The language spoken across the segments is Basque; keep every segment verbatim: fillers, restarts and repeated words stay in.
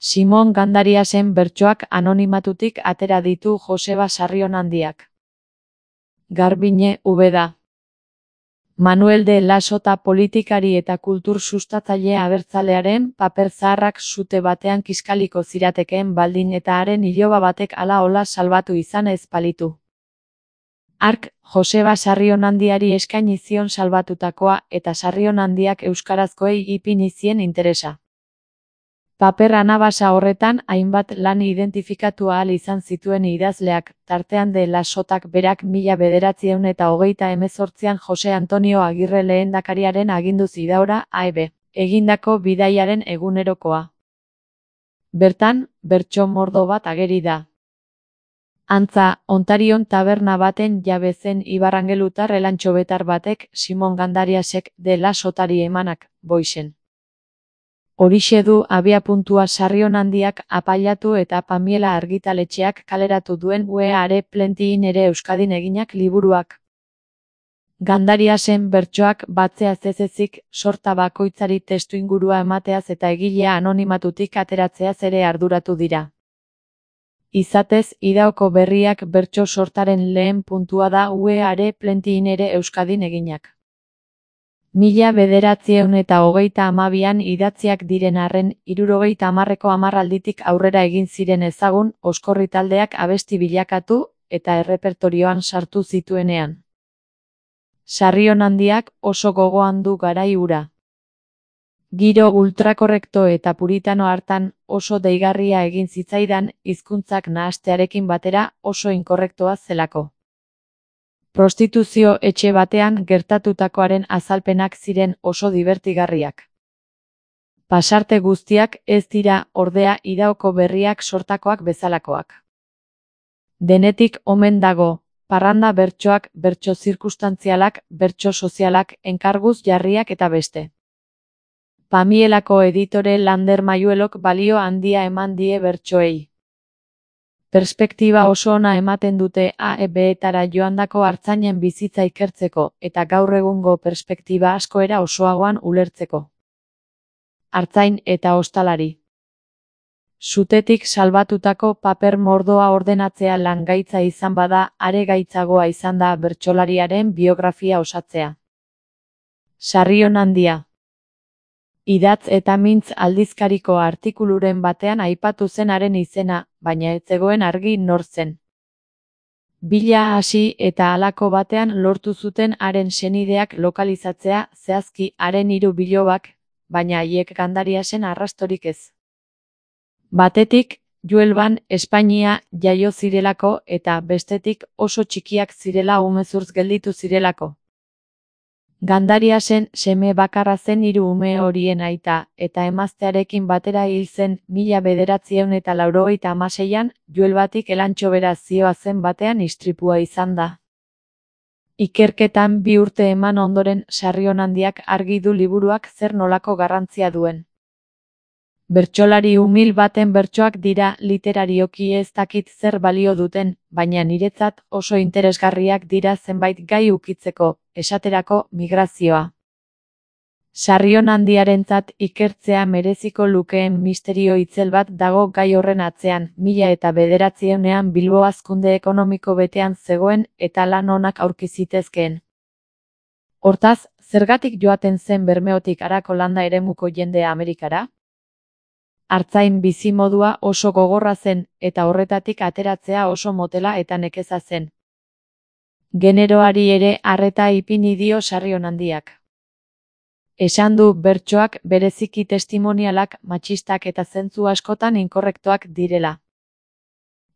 Simon Gandariasen bertsoak anonimatutik atera ditu Joseba Sarrionandiak. Garbine, Ubeda. Manuel de Lasota politikari eta kultur sustatzaile abertzalearen paper zaharrak sute batean kiskaliko ziratekeen baldin eta haren iloba batek ala-ola salbatu izan ez balitu. Hark, Joseba Sarrionandiari eskaini zion salbatutakoa eta Sarrionandiak euskarazkoei ipini zien interesa. Paper anabasa horretan hainbat lan identifikatu ahal izan zituen idazleak, tartean de Lasotak berak mila bederatziehun eta hogeita hemezortzian Jose Antonio Agirre lehendakariaren aginduz idaura A E B, egindako bidaiaren egunerokoa. Bertan, bertso mordo bat ageri da. Antza, Ontarion taberna baten jabe zen ibarrangelutar elantxobetar batek Simon Gandariasek de Lasotari emanak, boixen. Horixe du abiapuntua Sarrionandiak apailatu eta Pamiela argitaletxeak kaleratu duen We Are Plenty ere Euskadin eginak liburuak. Gandariasen bertsoak batzeaz ez ezik, sorta bakoitzari testuingurua emateaz eta egilea anonimatutik ateratzeaz ere arduratu dira. Izatez, Idaoko Berriak bertso sortaren lehen puntua da We Are Plenty ere Euskadin eginak. Mila bederatziehun eta hogeita hamabian idatziak diren arren, hirurogeita hamarreko hamarralditik aurrera egin ziren ezagun, oskorri taldeak abesti bilakatu eta errepertorioan sartu zituenean. Sarrionandiak oso gogoan du garai hura. Giro ultrakorrekto eta puritano hartan oso deigarria egin zitzaidan, hizkuntzak nahastearekin batera oso inkorrektoa zelako. Prostituzio etxe batean gertatutakoaren azalpenak ziren oso dibertigarriak. Pasarte guztiak ez dira, ordea, Idaoko Berriak sortakoak bezalakoak. Denetik omen dago, parranda bertsoak, bertso zirkustantzialak, bertso sozialak, enkarguz jarriak eta beste. Pamielako editore Lander Mayuelok balio handia eman die bertsoei. Perspektiba oso ona ematen dute A E B-etara joandako artzainen bizitza ikertzeko eta gaur egungo perspektiba asko era osoagoan ulertzeko. Artzain eta ostalari. Sutetik salbatutako paper mordoa ordenatzea lan gaitza izan bada, are gaitzagoa izan da bertsolariaren biografia osatzea. Sarrionandia. Idatz eta Mintz aldizkariko artikuluren batean aipatu zen haren izena, baina ez zegoen argi nor zen. Bila hasi eta halako batean lortu zuten haren senideak lokalizatzea, zehazki haren hiru bilobak, baina haiek Gandariasen arrastorik ez. Batetik, Huelvan, Espainia jaio zirelako eta bestetik oso txikiak zirela umezurtz gelditu zirelako. Gandariasen seme bakarra zen hiru ume horien aita, eta emaztearekin batera hil zen mila bederatziehun eta laurogeita hamaseian, Huelvatik elantxobera zihoazen batean istripua izan da. Ikerketan bi urte eman ondoren Sarrionandiak argi du liburuak zer nolako garrantzia duen. Bertsolari umil baten bertsoak dira literarioki ez dakit zer balio duten, baina niretzat oso interesgarriak dira zenbait gai ukitzeko, esaterako migrazioa. Sarrionandiarentzat ikertzea mereziko lukeen misterio itzel bat dago gai horren atzean, mila eta bederatziehunean Bilbo hazkunde ekonomiko betean zegoen eta lan onak aurki zitezkeen. Hortaz, zergatik joaten zen Bermeotik harako landa eremuko jendea Amerikara? Artzain bizimodua oso gogorra zen, eta horretatik ateratzea oso motela eta nekeza zen. Generoari ere arreta ipini dio Sarrionandiak. Esan du bertsoak bereziki testimonialak, matxistak eta zentzu askotan inkorrektoak direla.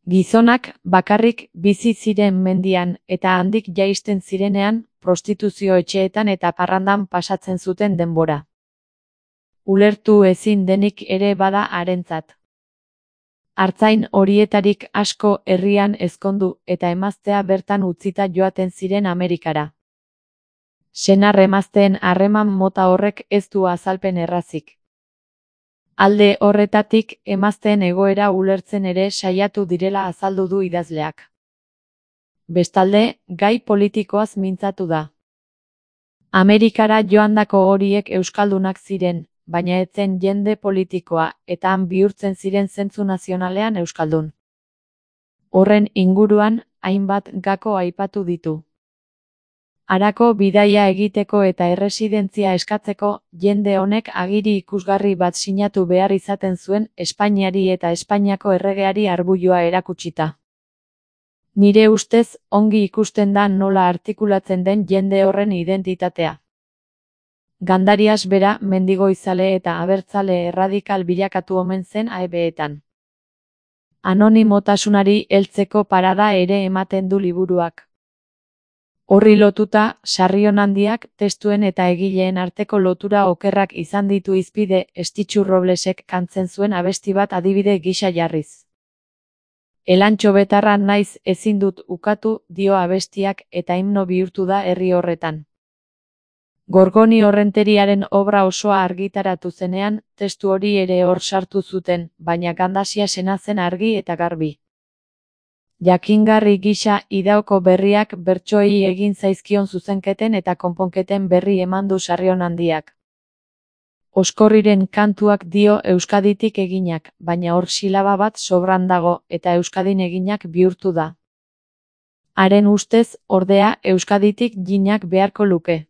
Gizonak bakarrik bizi ziren mendian eta handik jaisten zirenean, prostituzio etxeetan eta parrandan pasatzen zuten denbora. Ulertu ezin denik ere bada harentzat. Artzain horietarik asko herrian ezkondu eta emaztea bertan utzita joaten ziren Amerikara. Senar emazteen harreman mota horrek ez du azalpen errazik. Alde horretatik emazteen egoera ulertzen ere saiatu direla azaldu du idazleak. Bestalde, gai politikoaz mintzatu da. Amerikara joandako horiek euskaldunak ziren, baina etzen jende politikoa, eta han bihurtzen ziren zentzu nazionalean euskaldun. Horren inguruan, hainbat gako aipatu ditu. Harako bidaia egiteko eta erresidentzia eskatzeko, jende honek agiri ikusgarri bat sinatu behar izaten zuen Espainiari eta Espainiako erregeari arbuioa erakutsita. Nire ustez, ongi ikusten da nola artikulatzen den jende horren identitatea. Gandarias bera mendigoizale eta abertzale erradikal bilakatu omen zen A E B-etan. Anonimotasunari heltzeko parada ere ematen du liburuak. Horri lotuta, Sarrionandiak testuen eta egileen arteko lotura okerrak izan ditu hizpide Estitxu Roblesek kantzen zuen abesti bat adibide gisa jarriz. Elantxo betarra naiz ezin dut ukatu dio abestiak eta himno bihurtu da herri horretan. Gorgoni Horrenteriaren obra osoa argitaratu zenean, testu hori ere hor sartu zuten, baina Gandasia sena zen argi eta garbi. Jakingarri gisa Idaoko berriak bertsoei egin zaizkion zuzenketen eta konponketen berri eman du Sarrionandiak. Oskorriren kantuak dio Euskaditik eginak, baina hor silaba bat sobran dago eta Euskadin eginak bihurtu da. Haren ustez, ordea, Euskaditik jinak beharko luke.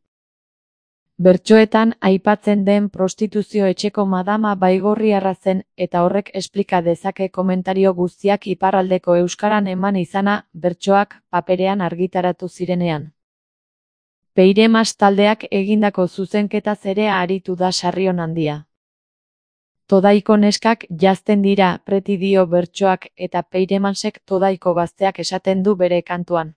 Bertsoetan aipatzen den prostituzio etxeko madama baigorriarra zen eta horrek esplika dezake komentario guztiak iparraldeko euskaran eman izana bertsoak paperean argitaratu zirenean. Peiremas taldeak egindako zuzenketaz ere aritu da Sarrionandia. Todaiko neskak jazten dira preti dio bertsoak eta Peiremasek todaiko gazteak esaten du bere kantuan.